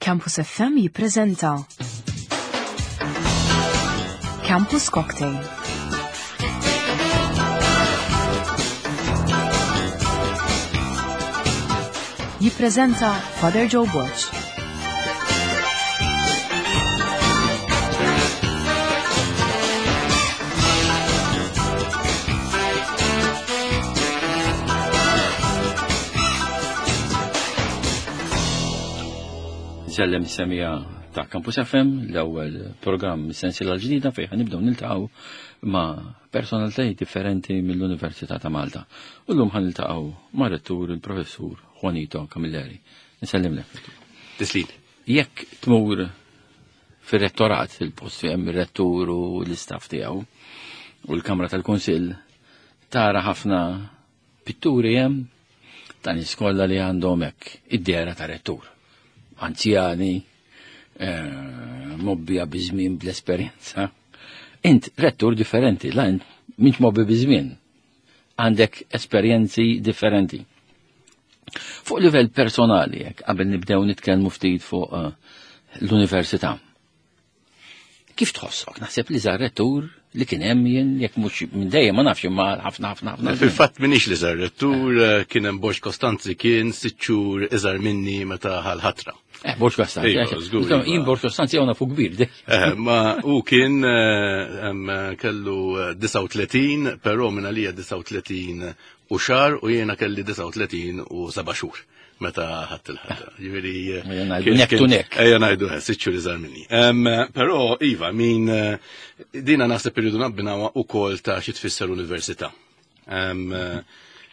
Campus FM jippreżenta Campus Cocktail. Jippreżenta Father Joe Borg. Sellem semija ta' Campus FM, l-ewwel programm sensiela l-ġdida fejn ħanibdew niltaqgħu ma' personalitajiet differenti mill-Università ta' Malta. U llum ħaniltaqgħu ma' rettur il-professur Juanito Camilleri. Nsellimlek. Tislim. Jekk tmur fir-rettorat, il-post fejn hemm ir-rettur u l-istaff tiegħu u l-Kamra tal-Kunsill, tara ħafna pitturi hemm ta' nies kollha li għandhom hekk id-dehra ta' rettur. Anzjani, eh, mobbija biż-żmien bl-esperjenza. Int rettur differenti, la int minx mobbi biż-żmien. Għandek esperjenzi differenti. Fuq livell personali, jekk qabel nibdew nitkellmu ftit fuq eh, l-università. Kif tħossok? Naħseb li żar rettur li kien hemm jien jekk mhux minn dejjem ma nafx imma ħafna ħafna ħafna. Fil-fatt minix li żar rettur eh, kien hemm Borġ Kostanzi kien sitt xhur iżgħar minni meta ħal-ħatra. Eh, Borġ Kostanzi. Iva, eh, żgur, Insomma, iva. Jien Borġ Kostanzi hawn fuq kbir. Eh, ma u kien eh, hemm, kellu eh, 39, però minn għalija 39 u xahar u jiena kelli 39 u seba' xhur meta ħadd il-ħatra. Jiġifieri Ejja ngħidu neck to neck. Ejja ngħidu eh, sitt xhur iżgħar minni. Però iva, min eh, dina naħseb irridu nabbinawha ukoll ta' xi tfisser università.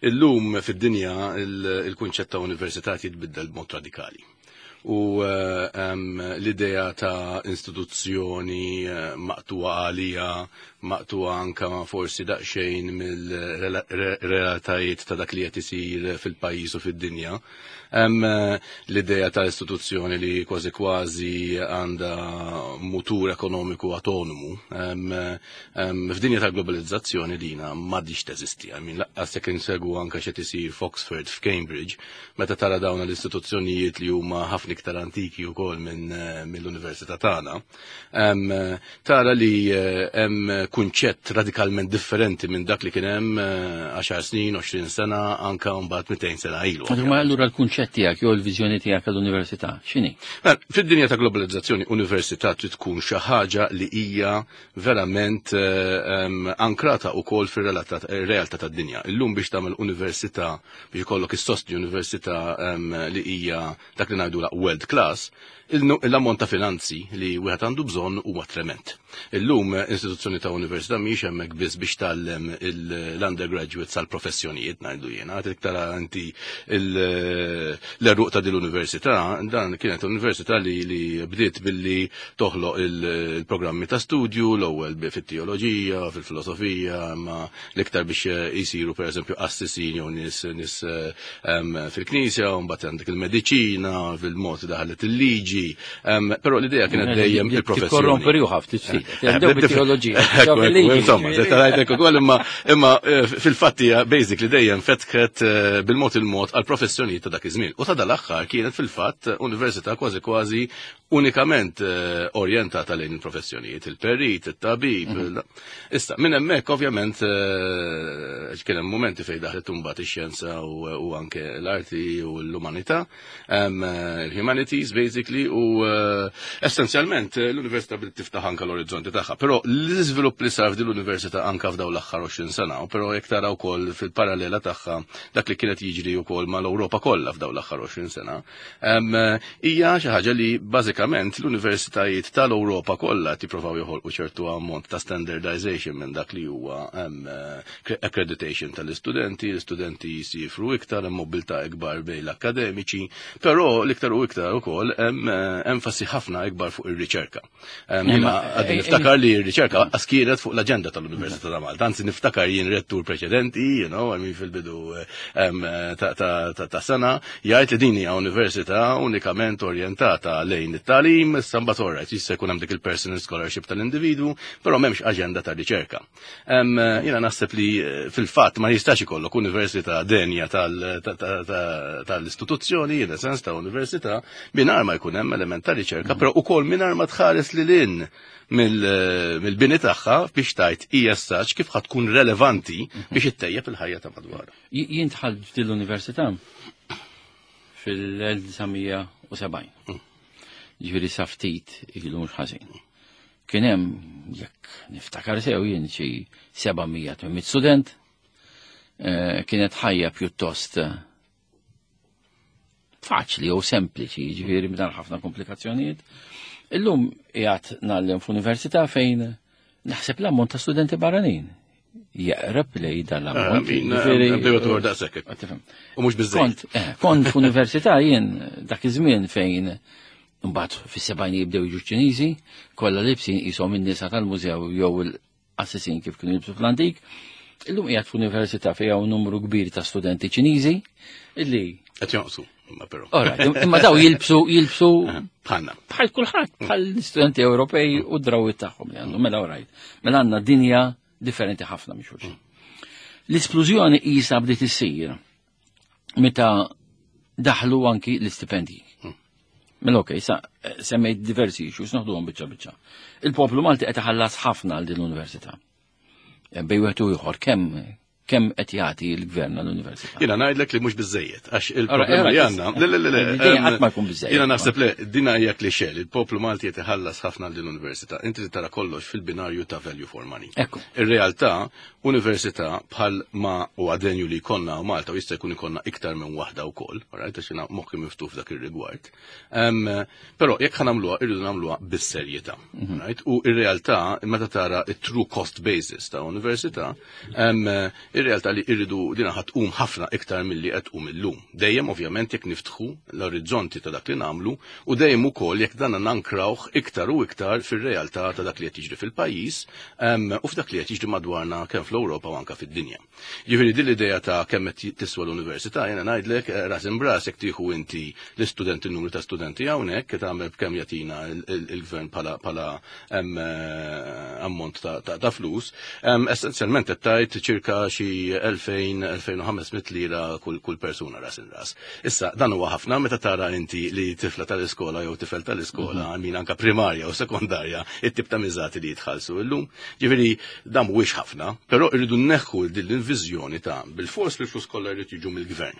Illum fid-dinja il-kunċett ta' università jitbiddel b'mod radikali. U eh, l-idea ta' istituzzjoni eh, maqtuwa għalija, maqtuwa anka forsi daqsxejn mill-realtajiet ta' dak li qed isir fil-pajjiż u fid-dinja. Eh, l-idea ta' istituzzjoni li kważi kważi għandha mutur ekonomiku autonomu. F'dinja ta' globalizzazzjoni dina m'għadix teżisti. I mean, laqqas jekk insegwu anka x'qed isir f'Oxford, f'Cambridge, meta tara dawn l-istituzzjonijiet li huma ħafna iktar antiki wkoll minn eh, mill-università tagħna, eh, tara li eh, hemm kunċett radikalment differenti minn dak li kien hemm 10 snin, 20 sena, anka mbagħad 200 sena ilu. Ma allura l-kunċett tiegħek jew l-viżjoni tiegħek għall-università x'inhi? Mela, fid-dinja ta' globalizzazzjoni, università trid tkun xi ħaġa li hija verament ankrata wkoll fir-realtà tad-dinja. Illum biex tagħmel università biex ikollok issostni università li hija dak li ngħidula world class, l-ammont ta' finanzi li wieħed għandu bżonn huwa trement. Illum istituzzjoni ta' università mhijiex hemmhekk biss biex tgħallem l-undergraduates għal professjonijiet ngħidu jiena, għad tara inti l-eruq ta' din l-università, dan kienet università li, li bdiet billi toħloq il-programmi ta' studju l-ewwel fit-teoloġija, fil-filosofija, ma l-iktar biex jisiru per eżempju qassisin jew nies nies fil-knisja, u mbagħad għandek il-mediċina, fil-mod daħlet il-liġi, però l-idea kienet dejjem il-professjoni. Tikkorrompi ruħha ftit ftit. Bdew bit-teoloġija. Insomma, se tarajtek ukoll imma imma fil-fatt hija basically dejjem fetħet bil-mod il-mod għal professjonijiet ta' dak iż-żmien. U ta' dal-aħħar kienet fil-fatt università kważi kważi unikament eh, orjentata lejn il-professjonijiet, il-perit, il-tabib. Mhm. Issa, minn hemmhekk ovvjament eh, kien hemm momenti fejn daħlet imbagħad ix-xjenza u anke l-arti u l-umanità, eh, l-humanities basically u essenzjalment l-università bdiet tiftaħ anke l-orizzonti tagħha. Però l-iżvilupp li sar f'din l-università anke f'dawn l-aħħar 20 sena, però jekk tara wkoll fil-parallela tagħha dak li kienet jiġri wkoll mal-Ewropa kollha f'dawn l-aħħar 20 sena, Hija xi ħaġa li bażikament l-universitajiet tal-Ewropa kollha tippruvaw joħolqu ċertu ammont ta' standardization minn dak li huwa accreditation tal-istudenti, l-istudenti jisifru iktar, hemm mobilità ikbar bejn l-akkademiċi, però l-iktar u iktar ukoll hemm eh, enfasi ħafna ikbar fuq ir-riċerka. Jiena għadni niftakar li r-riċerka lanqas kienet fuq l-aġenda tal-Università ta' Malta. Anzi niftakar jien rettur preċedenti, you know, I mean fil-bidu ta' sena, jgħid li din hija università unikament orjentata lejn it-tagħlim, issa mbagħad all right, jista' jkun hemm dik il-personal scholarship tal-individwu, però m'hemmx aġenda ta' riċerka. Jiena naħseb li eh, fil-fatt ma jistax ikollok università denja tal-istituzzjoni, in sens ta' università, mingħajr ma jkun hemm element ta' riċerka, però ukoll mingħajr ma tħares lil hinn mill-bini tagħha biex tajt hija saċ kif ħad tkun relevanti biex ittejjeb il-ħajja ta' madwar. Jien dħalt f'din l-università fil-1970. Ġifieri sa ftit ilu mhux ħażin. Kien hemm jekk niftakar sew jien xi 700 student, kienet ħajja pjuttost faċli jew sempliċi, ġifieri mingħajr ħafna komplikazzjonijiet. Illum qiegħed ngħallem f'università fejn naħseb l-ammont ta' studenti barranin jeqreb lej dan l-ammont. Ġifieri U mhux biżżejjed. Kont f'università jien dak iż-żmien fejn mbagħad fis-sebgħin jibdew jiġu Ċiniżi, kollha libsin qishom in-nisa tal-mużew jew il-qassisin kif kienu jilbsu fl-antik. Illum qiegħed f'università fejn hawn numru kbir ta' studenti Ċiniżi illi qed jonqsu, imma però. Alright, imma daw jilbsu Bħalna. Bħal kulħadd, bħal studenti Ewropej u drawwiet tagħhom li għandhom. Mela alright. Mela għandna dinja differenti ħafna minn xulxin. L-isplużjoni qisha bdiet issir meta daħlu anki l-istipendji. Mela okej, sa semmejt diversi issues, noħduhom biċċa biċċa. Il-poplu Malti qed iħallas ħafna għal din l-università. Bejn wieħed u ieħor kemm qed jagħti l-gvern għall-università? Jiena ngħidlek li mhux biżejjed, għax il-problema li għandna. Le, le, le, le, Qatt ma jkun biżejjed. Jiena naħseb le, dina hija klixè li l-poplu Malti qed iħallas ħafna għal din l-università. Inti tara kollox fil-binarju ta' value for money. Ir-realtà, università bħal ma huwa denju li jkollna u Malta u jista' jkun ikollna iktar minn waħda wkoll, right, għax jiena moħħi miftuħ f'dak ir-rigward. Però jekk ħa nagħmluha, irridu nagħmluha bis-serjetà. Right? U ir-realtà, meta tara it-true cost basis ta' università, ir-realtà li irridu dina ħa tqum ħafna iktar milli qed tqum illum. Dejjem ovvjament jekk niftħu l-orizzonti ta' dak li nagħmlu u dejjem ukoll jekk dan nankrawh iktar u iktar fir-realtà ta' dak li qed jiġri fil-pajjiż, u f'dak li qed jiġri madwarna kemm fl-Ewropa u anke fid-dinja. Jiġifieri din l-idea ta' kemm qed tiswa l-università, jiena ngħidlek ras imbras jekk tieħu inti l-istudenti, n-numru ta' studenti hawnhekk, qed tagħmel b'kemm jagħtina il-gvern bħala ammont ta' flus, essenzjalment qed tgħid ċirka xi elfejn, elfejn u ħames mitt lira kull persuna ras in ras. Issa, dan huwa ħafna meta tara inti li tifla tal-iskola jew tifel tal-iskola, min anka primarja u sekondarja, it-tip ta' miżati li jitħallsu illum. Ġifieri, dan mhuwiex ħafna, però irridu nneħħu din l-viżjoni ta' bil-fors li l-flus kollha jrid jiġu mill-gvern.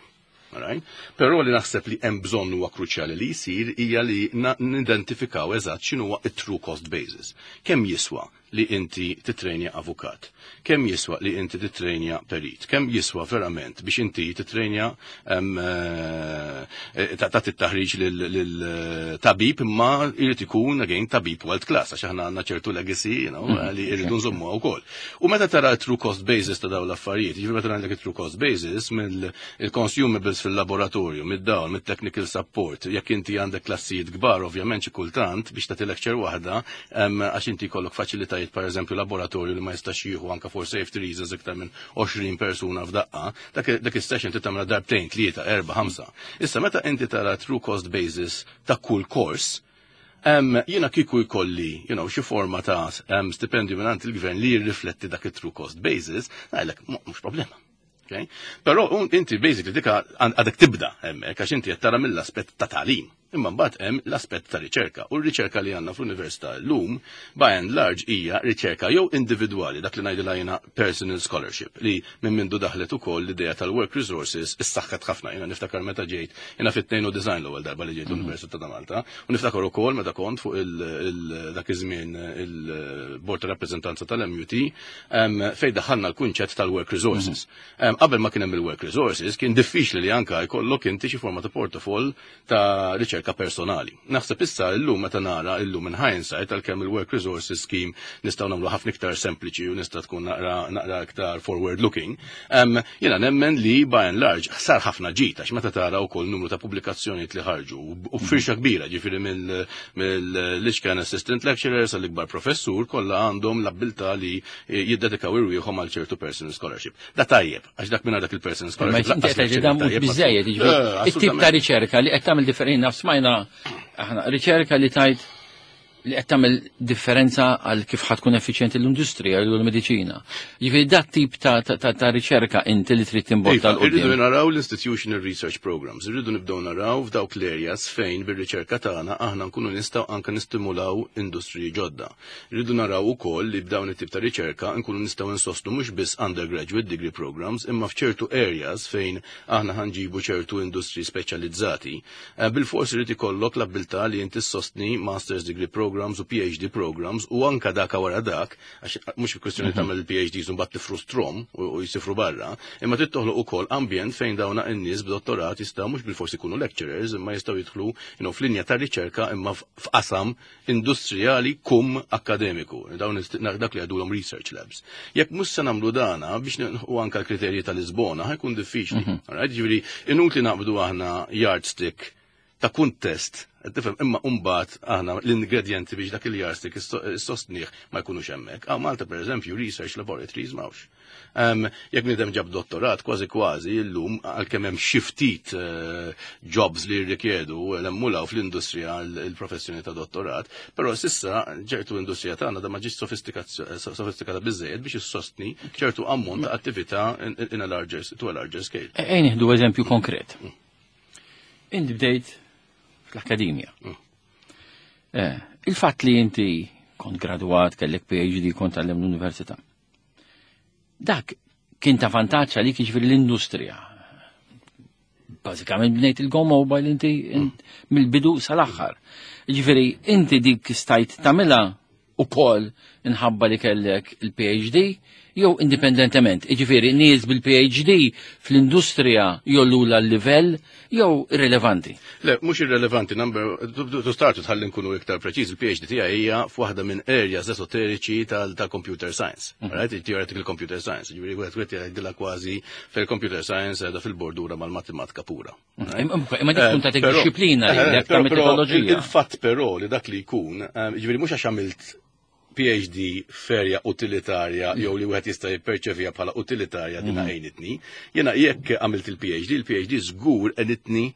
Alright? Però li naħseb li hemm bżonn huwa kruċjali li jsir hija li nidentifikaw eżatt x'inhu huwa it-true cost basis. Kemm jiswa li inti titrejnja avukat? Kemm jiswa li inti titrejnja perit? Kemm jiswa verament biex inti titrejnja, tagħti t-taħriġ lil tabib, imma jrid ikun again tabib world class, għax aħna għandna ċertu legacy, li jridu nżommuha wkoll. U meta tara true cost basis ta' dawn l-affarijiet, jiġifieri meta ngħidlek true cost basis mill-consumables fil-laboratorju, mid-dawl, mid-technical support, jekk inti għandek klassijiet kbar, ovvjament xi kultant biex tagħti lecture waħda, għax inti jkollok faċilitajiet, per eżempju, laboratorju li ma jistax jieħu anka for safety reasons iktar minn 20 persuna f'daqqa, dak is-session trid tagħmilha darbtejn, 3, 4, 5. Issa meta inti tara true cost basis ta' kull course, jiena kieku jkolli, xi forma ta' stipendju minn il-gvern li jirrifletti dak it-true cost basis, ngħidlek mhux problema. Okay? Però inti basically dika għadek tibda hemmhekk għax inti qed tara mill-aspett ta' tagħlim. Imma mbagħad hemm l-aspett ta' riċerka. U r-riċerka li għandna fl-università llum by and large hija riċerka jew individwali, dak li ngħidilha jiena personal scholarship, li minn mindu daħlet ukoll l-idea tal-work resources issaħħet ħafna. Jiena niftakar meta ġejt, jiena fit-tnejn u design l-ewwel darba li ġejt l-Università ta' Malta, u niftakar ukoll meta kont fuq dak iż-żmien il-Bord ta' Rappreżentanza tal-MUT, fejn daħħalna l-kunċett tal-work resources. Qabel ma kien hemm il-work resources, kien diffiċli li anka jkollok inti xi forma ta' portafol ta' riċerka personali. Naħseb issa illum meta nara illum in hindsight għalkemm il-work resources scheme nistgħu nagħmlu ħafna iktar sempliċi u nista' tkun naqra iktar forward looking. Jiena nemmen li by and large sar ħafna ġid għax meta tara wkoll numru ta' pubblikazzjonijiet li ħarġu u firxa kbira, ġifieri mill-Lichkan assistant lecturers għall-ikbar professur kollha għandhom l-abbiltà li jiddedikaw irwieħhom għal ċertu personal scholarship. Da tajjeb, għax dak minn dak il-personal Ma scholarship inti lanqas qed tgħid lecture dan mhux tajjeb, ma biżejjed, jiġifieri, it-tip ta' riċerka li qed tagħmel differenti naf smajna aħna riċerka li tajt Li qed tagħmel differenza għal kif ħa tkun effiċjenti l-industrija u l-mediċina. Jiġifieri dat tip ta' riċerka inti li trid timbotta Iva, 'l irridu quddiem. naraw l-institutional research programs, irridu nibdew naraw f'dawk l-areas fejn bir-riċerka tagħna aħna nkunu nistgħu anke nistimulaw industriji ġodda. Irridu naraw ukoll li b'dawn it-tip ta' riċerka nkunu nistgħu nsostnu mhux biss undergraduate degree programs imma f'ċertu areas fejn aħna ħa nġibu ċertu industri speċjalizzati. Bil-fors irid ikollok l-abilità li inti ssostni master's degree programs u PhD programs u anka daka wara dak, għax mhux kwestjoni tagħmel il-PhDs u mbagħad tifrustrom u jsifru barra, imma trid toħloq ukoll ambjent fejn dawna n-nies b'dottorat jistgħu mhux bil-forsi jkunu lecturers, imma jistgħu jidħlu f'linja ta' riċerka imma f'qasam industrijali kum akademiku. Dawn dak li għadulhom research labs. Jekk mhux se nagħmlu dana biex u anka l-kriterji tal-Lisbona ħa jkun diffiċli. Alright, ġifieri inutli naqbdu aħna yardstick ta' kuntest, tifhem, imma mbagħad aħna l-ingredienti biex dak il-yardstick issostnih ma jkunux hemmhekk. Ah, Malta pereżempju research laboratories m'hawnx. Jekk bniedem ġab dottorat, kważi kważi illum għalkemm hemm xi ftit jobs li jirrikjedu l-emmulaw fl-industrija l-professjoni ta' dottorat, però s'issa ċertu industrija tagħna da ma ġietx sofistikata biżejjed biex issostni ċertu ammont ta' attività in a larger, to a larger scale. Ejn nieħdu eżempju konkret. Inti bdejt fl-akkademja. Il-fatt li inti kont graduat, kellek PhD, kont għallem l-università. Dak kien ta' vantaġġ għalik, jiġifieri l-industrija. Bażikament bnejt il-Go Mobile inti mill-bidu sal-aħħar. Jiġifieri inti dik stajt tagħmilha ukoll inħabba li kellek il-PhD jew indipendentement. Jiġifieri nies bil-PhD fl-industrija jollula l-livell jew irrelevanti. Le, mhux irrelevanti, number, to start tħalli nkunu iktar preċiż, il-PhD tiegħi hija f'waħda minn areas esoteriċi tal-computer science. Right? Theoretical computer science. Ġifieri wieħed jgħidilha kważi fil-computer science qiegħda fil-bordura mal-matematika pura. Imma dik tkun tagħtik disċiplina li Però metodoloġija. Il-fatt però li dak li jkun, ġifieri mhux għax għamilt PhD f'area utilitarja jew li wieħed jista' jipperċevija bħala utilitarja dina għejnitni. Jiena jekk għamilt il-PhD, il-PhD żgur għenitni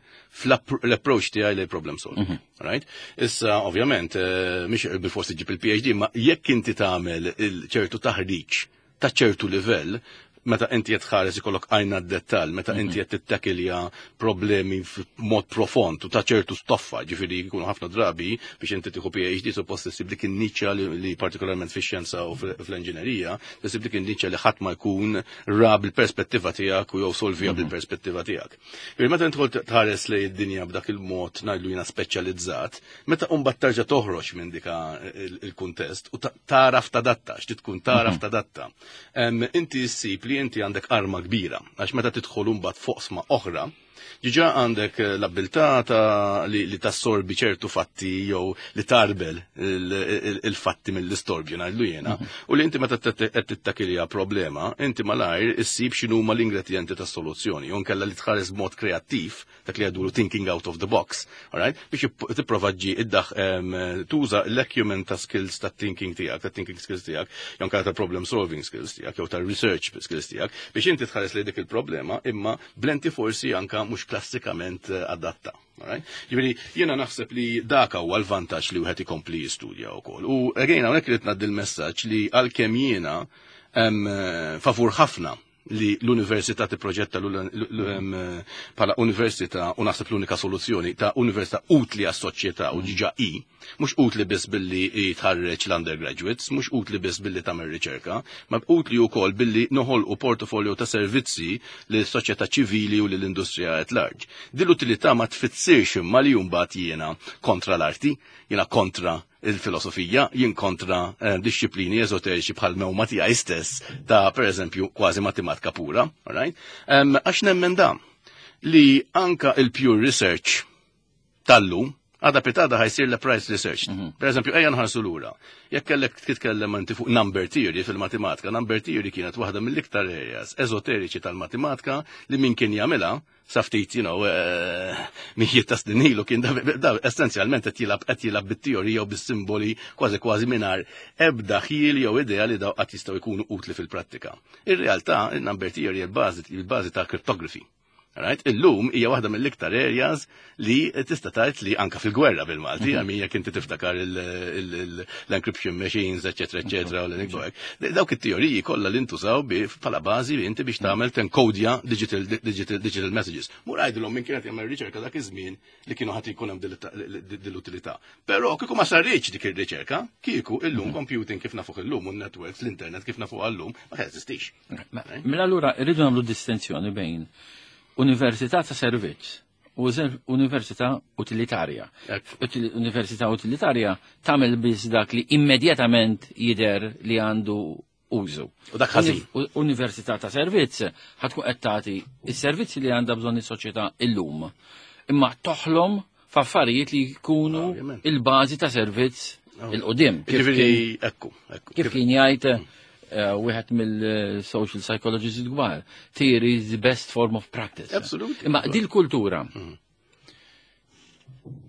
fl-approach tiegħi lejn problem solving. Right? Issa ovvjament mhix bil-forsi ġib il-PhD, ma jekk inti tagħmel ċertu taħriġ ta' ċertu livell, meta inti qed tħares ikollok għajna d-dettall, meta inti qed tittakilja problemi f'mod profond u ta' ċertu stoffa, ġifieri jkunu ħafna drabi biex inti tieħu PhD suppost issib dik in-niċċa li partikolarment fix-xjenza u fl-inġinerija, issib dik in-niċċa li ħadd ma jkun ra bil-perspettiva tiegħek u jew solvija bil-perspettiva tiegħek. Ġifieri meta inti tħares lejn id-dinja b'dak il-mod ngħidlu jiena speċjalizzat, meta mbagħad terġa' toħroġ minn dika il-kuntest u taraf tadatta, x'ti tkun taraf tadatta. Inti ssib li inti għandek arma kbira, għax meta tidħol mbagħad foqsma oħra, diġà għandek l-abilità ta' li tassorbi ċertu fatti jew li tarbel il-fatti mill-istorbju ngħidlu jiena, u li inti meta qed tittakilja problema, inti malajr issib x'inhuma l-ingredjenti tas-soluzzjoni, jew nkella li tħares b'mod kreattiv, dak li jgħidulu thinking out of the box, all right? Biex tipprova ġi tuża l-acumen ta' skills ta' thinking tiegħek, ta' thinking skills tiegħek, jew nkella ta' problem solving skills tiegħek, jew ta' research skills tiegħek, biex inti tħares li dik il-problema imma blenti forsi anka mhux klassikament adatta. All right? Ġifieri, jiena naħseb li dak huwa l-vantaġġ li wieħed ikompli jistudja wkoll. U again hawnhekk irid ngħaddi l-messaġġ li għalkemm jiena favur ħafna li l-università tipproġetta bħala università u naħseb l-unika soluzzjoni ta' università utli għas-soċjetà u ġiġa i, mhux utli biss billi tħarreġ l-undergraduates, mhux utli biss billi tagħmel riċerka, ma utli wkoll billi noħolqu portfolio ta' servizzi lis soċjetà ċivili u lill-industrija at large. Din l-utilità ma tfissirx imma li mbagħad jiena kontra l-arti, jiena kontra il-filosofija, jien kontra disċiplini esoteriċi bħal mewma tiegħi stess ta' per eżempju kważi matematika pura, all right? Għax nemmen da li anka il-pure research tal-lum għada pitada ħa jsir l-applied research. Per eżempju, ejja nħarsu lura. Jekk kellek titkellem inti fuq number theory fil-matematika, number theory kienet waħda mill-iktar areas esoteriċi tal-matematika li min kien jagħmilha sa ftit, mijiet ta' snin ilu kien da essenzjalment qed jilgħab bit-teorija u bis-simboli kważi kważi mingħajr ebda ħjiel jew idea li daw qatt jistgħu jkunu utli fil-prattika. Ir-realtà, il-number theory il-bażi ta' cryptography. Right? Illum hija waħda mill-iktar areas li tista' tgħid li anka fil-gwerra bil-Malti, għamin jekk inti tiftakar l-encryption machines, eċetera, eċetera, u l hekk. Dawk it-teoriji kollha li ntużaw bħala bażi li inti biex tagħmel tenkodja digital, digital, digital messages. Mur għajdilhom minn kienet jagħmel riċerka dak iż-żmien li kienu ħadd jkun hemm dil-utilità. Però kieku ma sarriċ dik ir-riċerka, kieku illum computing kif nafuh illum u networks, l-internet kif nafuh illum, ma jeżistix. Mela allura rridu nagħmlu distinzjoni bejn università ta' servizz u università utilitarja. Università utilitarja tagħmel biss dak li immedjatament jidher li għandu użu. U dak ħażin. Università ta' servizz ħa tkun qed tagħti is-servizzi li għandha bżonn is-soċjetà illum. Imma toħlom f'affarijiet li jkunu il-bażi ta' servizz il-qudiem. Ġifieri ekku, ekku. Kif kien jgħid wieħed mill-social psychologists kbar, theory is the best form of practice. Absolutely. Imma dil-kultura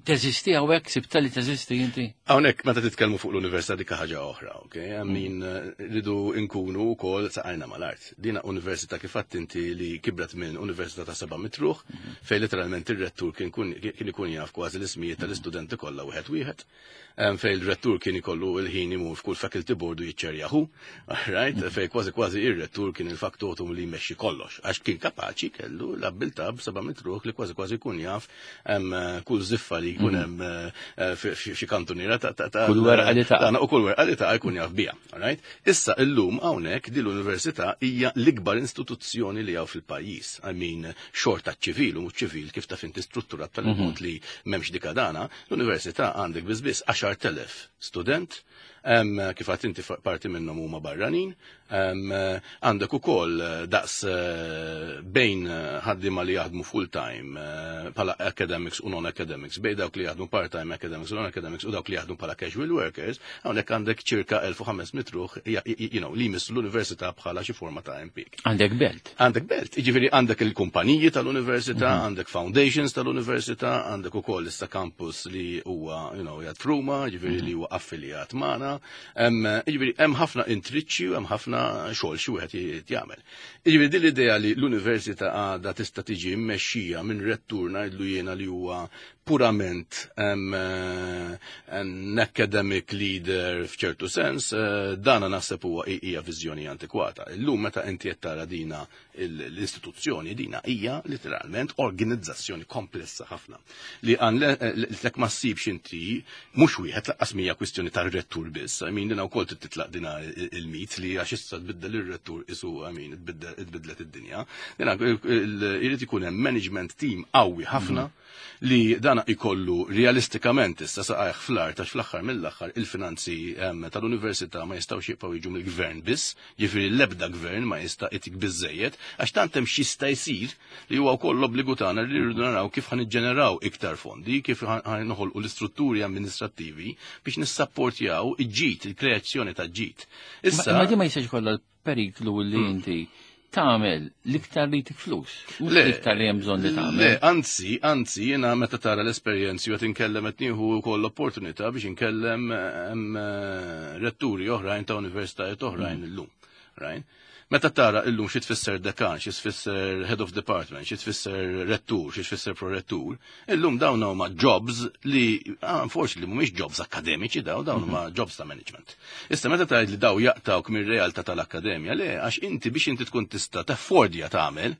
teżisti hawnhekk, sibta li teżisti inti? Hawnhekk meta titkellmu fuq l-università dik ħaġa oħra, ok? I mean, rridu nkunu wkoll saqajna mal-art. Dina università kif għedt inti li kibret minn università ta' 700 ruħ, fejn literalment ir-rettur kien ikun jaf kważi l-ismijiet tal-istudenti kollha wieħed wieħed. Fejn il-rettur kien ikollu il-ħin imur f'kull faculty board u jiċċerjahu, right? Fejn kważi kważi ir-rettur kien il-factotum li jmexxi kollox, għax kien kapaċi kellu l-abbiltà b'700 ruħ li kważi kważi jkun jaf kull ziffa li jkun hemm xi kantuniera ta' Kull werqa li taqa'. U kull werqa li taqa' jkun jaf biha, right? Issa illum hawnhekk din l-università hija l-ikbar istituzzjoni li hawn fil-pajjiż. I mean, xorta ċivil u mhux ċivil kif taf inti strutturat tal-mod li m'hemmx dika dana, l-università għandek biss biss 10,000 student, kif għedt inti parti minnhom huma barranin, għandek ukoll daqs bejn ħaddiema li jaħdmu full-time bħala academics u non-academics, bejn dawk li jaħdmu part-time academics u non-academics u dawk li jaħdmu bħala casual workers, hawnhekk għandek ċirka 1500 ruħ li jmissu l-università bħala xi forma ta' impjieg. Għandek belt. Għandek belt, jiġifieri għandek il-kumpaniji tal-università, għandek foundations tal-università, għandek ukoll issa campus li huwa jgħad f'Ruma, jiġifieri li huwa affiljat magħna. Jiġifieri hemm ħafna intriċċi u hemm ħafna xogħol xi wieħed jagħmel. Jiġifieri din l-idea li l-università għadha tista' tiġi mmexxija minn rettur ngħidlu jiena li huwa purament an academic leader f'ċertu sens, dana naħseb huwa hija viżjoni antikwata. Illum meta inti qed tara dina l-istituzzjoni dina hija literalment organizzazzjoni komplessa ħafna. Li għan lek ma ssibx inti mhux wieħed laqqas mija kwistjoni tar-rettur biss. I mean, dina wkoll trid titlaq dina il-mit li għax issa tbiddel ir-rettur isu, I mean, tbiddlet id-dinja. Dina irid ikun hemm management team qawwi ħafna li dana ikollu realistikament issa saqajh fl-art għax fl-aħħar mill-aħħar il-finanzi tal-università ma jistgħux jibqgħu jiġu mill-gvern biss, jiġifieri l-ebda gvern ma jista' itik biżejjed, għax tant hemm x'jista' jsir li huwa wkoll l-obbligu tagħna li rridu naraw kif ħa niġġeneraw iktar fondi, kif ħa noħolqu l-istrutturi amministrattivi biex nissapportjaw il-ġid, il-kreazzjoni ta' ġid. Issa Ma di ma jistax ikollha l-periklu li inti tagħmel l-iktar li tik flus, mhux Le. l-iktar li hemm bżonn li tagħmel. Le, anzi, anzi, jiena meta tara l-esperjenzi u qed inkellem qed nieħu wkoll l-opportunità biex inkellem retturi oħrajn ta' universitajiet oħrajn illum. Right? Meta tara illum xi tfisser dekan, xi tfisser head of department, xi tfisser rettur, xi tfisser prorettur, illum dawn huma jobs li unfortunately mhumiex jobs akademiċi dawn huma jobs ta' management. Issa meta tgħid li daw jaqtawk mir-realtà tal-akkademja, le, għax inti biex inti tkun tista' taffordja tagħmel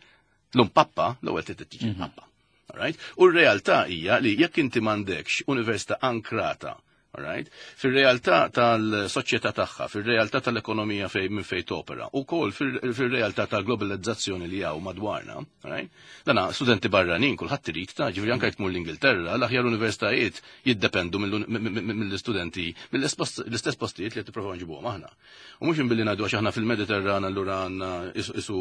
l-um pappa, l-ewwel trid tiġi pappa. Alright? U r-realtà hija li jekk inti m'għandekx università ankrata, alright? Fir-realtà tal-soċjetà tagħha, fir-realtà tal-ekonomija fej minn fejn topera, ukoll fir-realtà tal-globalizzazzjoni li hawn madwarna, alright? Dana studenti barranin kulħadd irid ta' ġifieri anke jekk tmur l-Ingilterra, l-aħjar universitajiet jiddependu mill-istudenti, mill-istess postijiet li qed tipprovaw nġibuhom aħna. U mhux inbilli ngħidu għax aħna fil-Mediterran allura għandna isu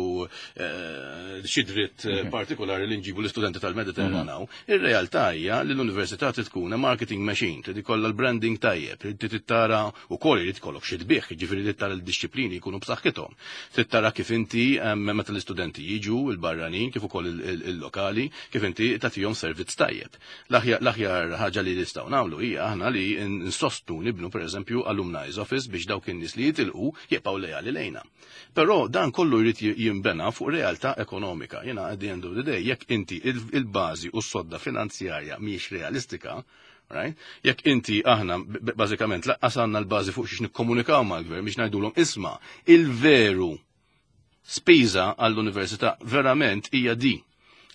xi dritt partikolari li nġibu l-istudenti tal-Mediterran hawn. Ir-realtà hija li l-università trid tkun a marketing machine, trid ikollha l-branding. branding tajjeb, trid tara wkoll irid ikollok xi tbigħ, jiġifieri trid tara l-dixxiplini jkunu b'saħħithom. Trid tara kif inti meta l-istudenti jiġu il-barranin kif ukoll il-lokali, kif inti tagħtihom servizz tajjeb. L-aħjar ħaġa li nistgħu nagħmlu hija aħna li nsostnu nibnu pereżempju alumni's office biex dawk in-nies li jitilqu jibqgħu lejali lejna. Però dan kollu jrid jinbena fuq realtà ekonomika. Jiena at the end of the day, jekk inti il-bażi u s-sodda finanzjarja mhijiex realistika, right? Jekk inti aħna bażikament laqqas għandna l-bażi fuq xiex nikkomunikaw mal-gvern biex ngħidulhom isma' il-veru spiża għall-università verament hija di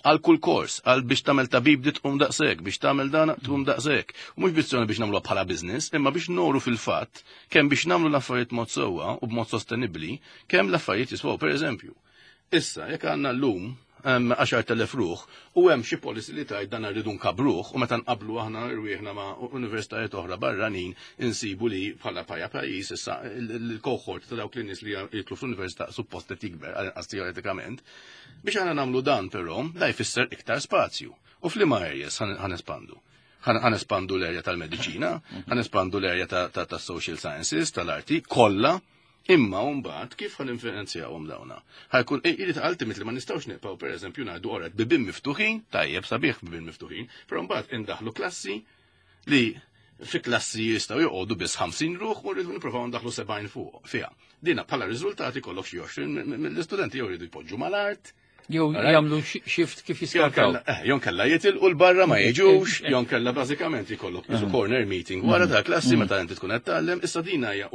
għal kull kors, għal biex tagħmel tabib di tqum daqshekk, biex tagħmel dan tqum daqshekk. U mhux biss biex nagħmluha bħala business, imma biex noru fil-fatt kemm biex nagħmlu l-affarijiet mod sewwa u b'mod sostenibbli, kemm l-affarijiet jiswaw, per eżempju. Issa, jekk għandna llum 10,000 ruħ u hemm xi policy li tgħid dan rridu nkabbruh u meta nqablu aħna rwieħna ma' universitajiet oħra barranin insibu li bħala paja pajjiż issa il-cohort ta' dawk l-nies li jidħlu fl-università suppost qed jikber għal teoretikament. Biex aħna nagħmlu dan però, da jfisser iktar spazju. U f'liema areas ħa nespandu? Ħa nespandu l-area tal-mediċina, ħa nespandu l-area ta' social sciences, tal-arti, kollha, imma mbagħad kif ħa ninfinanzjawhom dawna? Ħa jkun irid ultimately ma nistgħux nibqgħu pereżempju ngħidu oret bibien miftuħin, tajjeb sabiħ bibien miftuħin, però mbagħad indaħlu klassi li fi klassi jistgħu joqogħdu biss 50 ruħ u rridu nippruvaw ndaħlu 70 fuq fiha. Dina bħala riżultati kollok xi 20 mill-istudenti jew jridu jpoġġu mal-art. Jew jagħmlu shift kif jiskartaw. Jew kella jitilqu l-barra ma jiġux, jew kella bażikament jkollok isu corner meeting wara ta' klassi meta inti tkun qed tgħallem, issa dina hija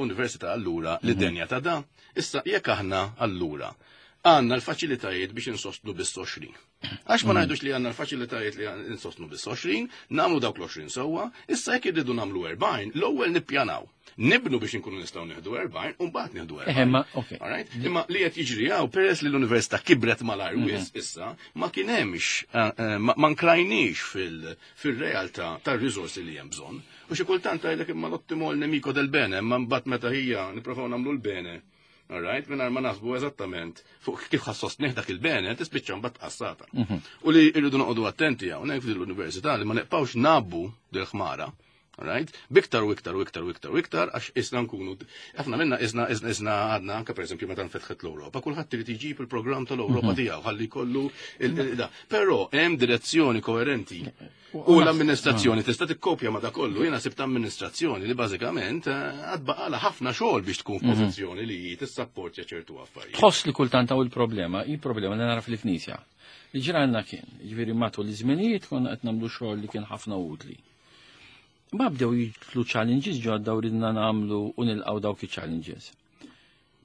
università allura li denja ta' da. Issa jekk aħna allura għandna l-faċilitajiet biex insostnu biss 20. Għax ma ngħidux li għandna l-faċilitajiet li insostnu biss 20, nagħmlu dawk l-20 sewwa, issa jekk irridu nagħmlu 40, l-ewwel nippjanaw. Nibnu biex inkunu nistgħu nieħdu 40 u mbagħad nieħdu 40. Imma, ok. Alright? Imma li qed jiġri hawn peress li l-università kibret malajr wis issa, ma kien hemmx ma nkrajniex fil-realtà tar-riżorsi li hemm bżonn. U xi kultant tgħidlek imma l-ottimo l-nemico del bene, imma mbagħad meta hija nipprovaw nagħmlu l-bene. Alright, mingħajr ma naħsbu eżattament fuq kif ħa ssostnih dak il-bene, tispiċċa mbagħad tqassata. U li rridu noqogħdu attenti hawnhekk f'din l-università li ma neqpawx nabbu dil-ħmara. Alright? Biktar u iktar u iktar u iktar u iktar, għax isna nkunu, ħafna minna isna isna isna għadna anka per eżempju meta nfetħet l-Ewropa, kulħadd irid iġib il-programm tal-Ewropa tiegħu ħalli jkollu da. Però hemm direzzjoni koerenti. U l-amministrazzjoni tista' tikkopja ma' da kollu, jiena sibt amministrazzjoni li bażikament għad baqala ħafna xogħol biex tkun f'pożizzjoni li tissapportja ċertu affarijiet. Tħoss li kultant hawn il-problema, hi problema li nara fil-Knisja. Li ġranna kien, ġifieri matul iż-żminijiet konna qed nagħmlu xogħol li kien ħafna utli. Ma bdew jitlu challenges ġodda u ridna nagħmlu u nilqgħu dawk i-challenges.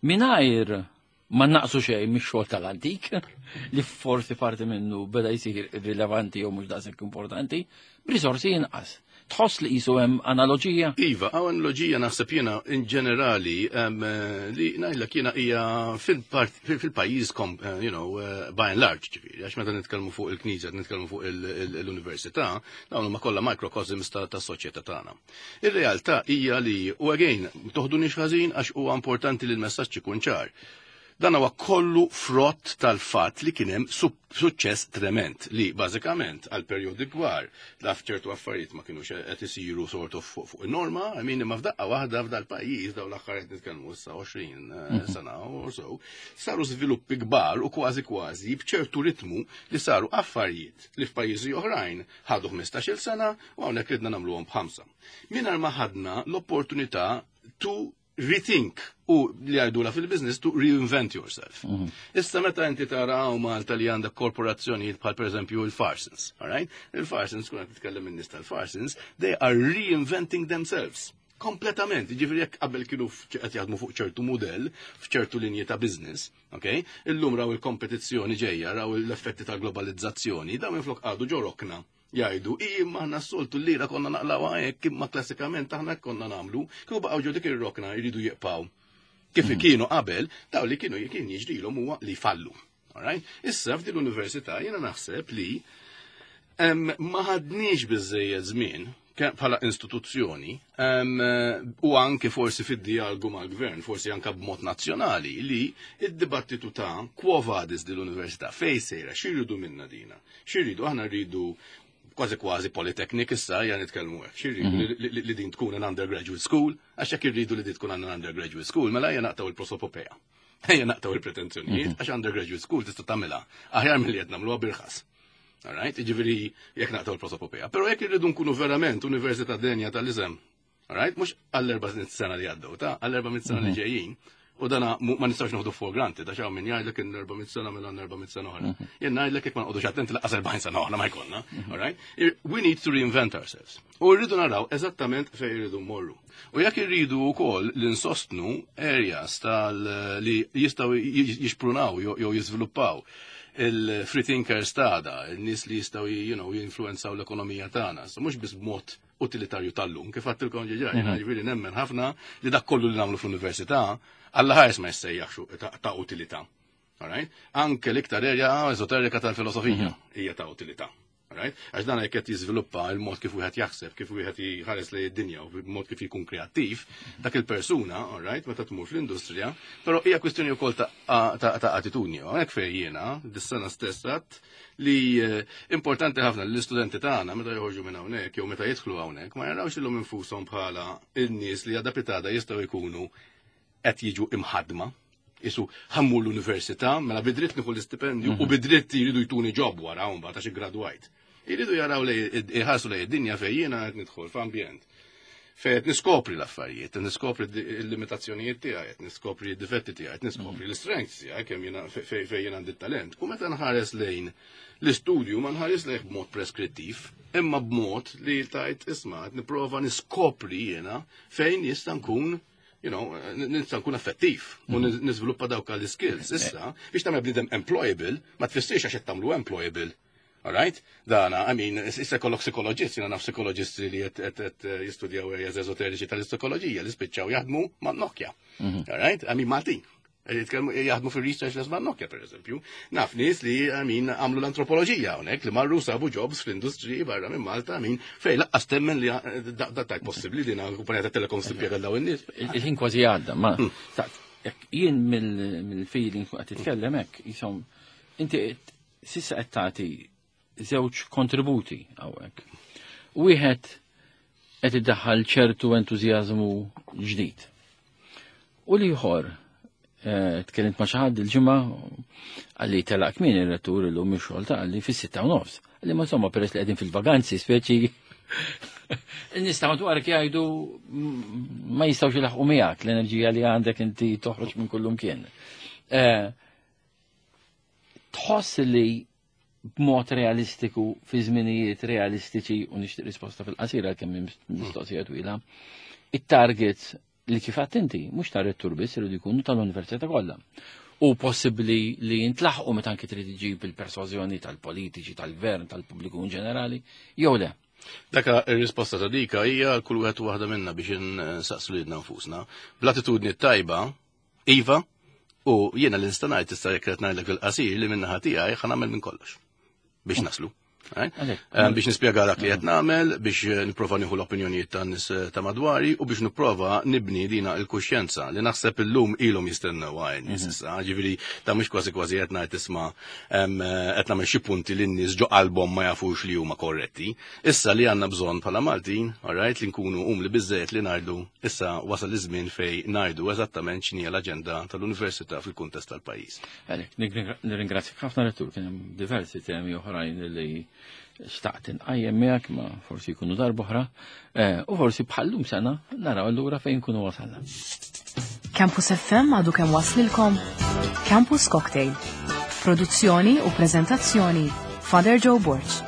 Mingħajr ma naqsu xejn mix-xogħol tal-antik, li forsi parti minnu beda jsir irrilevanti jew mhux daqshekk importanti, b'risorsi inqas. Tħoss li qisu hemm analoġija? Iva, hawn analoġija naħseb jiena in ġenerali li ngħidlek jiena hija fil-pajjiż by and large, ġifieri, għax meta nitkellmu fuq il-Knisja, nitkellmu fuq l-università, dawn huma kollha microcosms ta' soċjetà tagħna. Ir-realtà hija li, u again, toħdunix ħażin għax huwa importanti li l-messaġġ ikun ċar. Dan huwa kollu frott tal-fatt li kien hemm suċċess trement li bażikament għal perjodi kbar laf ċertu affarijiet ma kienux qed isiru sort of fuq in-norma, I mean, imma f'daqqa waħda f'dal pajjiż dawn l-aħħar qed nitkellmu issa 20 sena or so, saru żviluppi kbar u kważi kważi b'ċertu ritmu li saru affarijiet li f'pajjiżi oħrajn ħadu 15-il sena u hawnhekk ridna nagħmluhom b'ħamsa. Mingħajr ma ħadna l-opportunità to rethink u li għajdula fil-business to reinvent yourself. Issa meta inti tara hawn Malta li għandek korporazzjonijiet bħal per eżempju il-Farsons, all right? Il-Farsons, kuna titkellem in-nies tal-Farsons, they are reinventing themselves. Kompletament, ġifieri jekk qabel kienu qed jaħdmu fuq ċertu mudell, f'ċertu linji ta' business, ok? Illum raw il-kompetizzjoni ġejja, raw l-effetti ta' globalizzazzjoni, dawn minflok għadu ġo rokna. Jgħidu, imma aħna s-soltu l-lira konna naqlaw hekk, imma klassikament aħna konna nagħmlu, kieku baqgħu ġo dik ir-rokna jridu jibqgħu. Kif kienu qabel, daw li kienu kien jiġrilhom huwa li fallu. All right? Issa f'din l-università jiena naħseb li ma ħadniex biżejjed żmien bħala istituzzjoni u anke forsi fid-dialogu mal-gvern, forsi anke b'mod nazzjonali, li id-dibattitu ta' quo vadis din l-università, fej sejra, x'irridu minna dina? X'irridu? Aħna rridu Kważi kważi polytechnic issa hija nitkellmu hekk. X'irridu li din tkun an undergraduate school, għax jekk irridu li din tkun an undergraduate school, mela hija naqtaw il-prosopopea. Ejja naqtaw il-pretenzjonijiet, għax undergraduate school tista' tagħmilha aħjar milli qed nagħmluha birħas. Alright, jiġifieri jekk naqtaw il-prosopopea. Però jekk irridu nkunu verament università denja tal-isem, alright, mhux għall-400 sena li għaddew, ta' għall-400 sena li ġejjin, u dana ma nistax noħdu for granted, għax hawn min jgħidlek in 400 sena mela 400 sena oħra. Jien ngħidlek jekk ma noqogħdux attenti lanqas 40 sena oħra ma jkollna, alright? We need to reinvent ourselves. U rridu naraw eżattament fejn irridu mmorru. U jekk irridu wkoll li nsostnu areas tal li jistgħu jixprunaw jew jiżviluppaw il-free thinkers tagħna, il-nies li jistgħu jinfluenzaw l-ekonomija tagħna. So mhux biss b'mod utilitarju tal-lum, kif għedtilkom diġà, ġifieri nemmen ħafna li dak kollu li nagħmlu fl-università, Alla ħares ma jissejjaħx ta' utilità. Alright? Anke l-iktar area esoterika tal-filosofija hija ta' utilità. Alright? Għax dan jekk qed jiżviluppa il-mod kif wieħed jaħseb, kif wieħed jħares lejn id-dinja u mod kif jkun kreattiv, dak il-persuna, alright, meta tmur fl-industrija, però hija kwistjoni wkoll ta' attitudni. Hekk fejn jiena, dis-sena stess għedt li importanti ħafna li l-istudenti tagħna meta joħorġu minn hawnhekk jew meta jidħlu hawnhekk ma jarawx illum infushom bħala n-nies li għada pitgħada jistgħu jkunu qed jiġu imħadma. Isu ħammu l-università, mela bidritt nieħu l-istipendju u bidritt jridu jtuni job wara mbagħad għax iggradwajt. Jridu jaraw li jħarsu lejn id-dinja fejn jiena qed nidħol f'ambjent. Fejn qed niskopri l-affarijiet, qed niskopri l-limitazzjonijiet tiegħi, qed niskopri d-difetti tiegħi, qed niskopri l-strengths tiegħi kemm jiena fejn jiena għandi talent. U meta nħares lejn l-istudju ma nħares lejn b'mod preskrittiv, imma b'mod li tajt isma' qed nipprova niskopri jiena fejn jista' nkun nista' nkun effettiv u niżviluppa dawk l-skills. Issa, biex tagħmel bniedem employable, ma tfissirx għax qed tagħmlu employable. Alright? Dana, I mean, issa kollok psikoloġist, jiena naf psikoloġisti li qed jistudjaw areas esoteriċi tal-psikoloġija li spiċċaw jaħdmu ma' Nokia. Alright? I mean, Maltin. Jitkellmu jaħdmu fil-research les ma' Nokia, per eżempju. Naf nies li, I mean, għamlu l-antropoloġija hawnhekk li marru sabu jobs fl-industriji barra minn Malta, I mean, fej laqqas temmen li da tajt possibbli din kumpanija ta' telekom timpjega daw in-nies. Il-ħin kważi għadda, ma jien mill-feeling fuq qed titkellem hekk, jisom, inti sissa qed tagħti żewġ kontributi hawnhekk. Wieħed qed iddaħħal ċertu entużjażmu ġdid. U l-ieħor, tkellimt ma' xi ħadd il-ġimgħa għalli telaq kmieni ir-rettur illum ix-xogħol ta' għalli fis-6:30. Għalli ma insomma peress li qegħdin fil-vaganzi speċi in-nies ta' madwarek jgħidu ma jistgħux jilaħqu miegħek l-enerġija li għandek inti toħroġ minn kullum kien. Tħoss li b'mod realistiku fi żminijiet realistiċi u nixtieq risposta fil-qasira kemm mistoqsija twila, it-targets li kif għedt inti, mhux ta' rettur biss iridu jkunu tal-università kollha. U possibbli li jintlaħqu meta anki trid iġib il-persważjoni tal-politiċi, tal-gvern, tal-pubbliku in ġenerali, jew le. Daka ir-risposta ta' dika hija kull wieħed u waħda minna biex insaqsu lilna nfusna. Bl-attitudni tajba, iva, u jiena li nista' ngħid issa jekk qed ngħidlek fil-qasir li min-naħa tiegħi ħa nagħmel minn kollox biex naslu. Right? Biex nispjega dak li qed nagħmel, biex nipprova nieħu l-opinjonijiet tan-nies ta' madwari u biex nipprova nibni dina l-kuxjenza li naħseb illum ilhom jistennew għajn nies issa. Ġifieri ta' mhux kważi kważi qed ngħid isma' qed nagħmel xi punti li n-nies ġo qalbhom ma jafux li huma korretti. Issa li għandna bżonn bħala Maltin, alright, li nkunu umli biżżejjed li ngħidu issa wasal iż-żmien fejn ngħidu eżattament x'inhi l-aġenda tal-università fil-kuntest tal-pajjiż. Għalek, nirringrazzjak ħafna rettur, kien hemm diversi temi oħrajn li xtaqt inqajjem miegħek ma forsi jkunu darb'oħra, u forsi bħallum sena naraw allura fejn nkunu wasalna. Campus FM għadu kemm waslilkom Campus Cocktail. Produzzjoni u prezentazzjoni Father Joe Borg.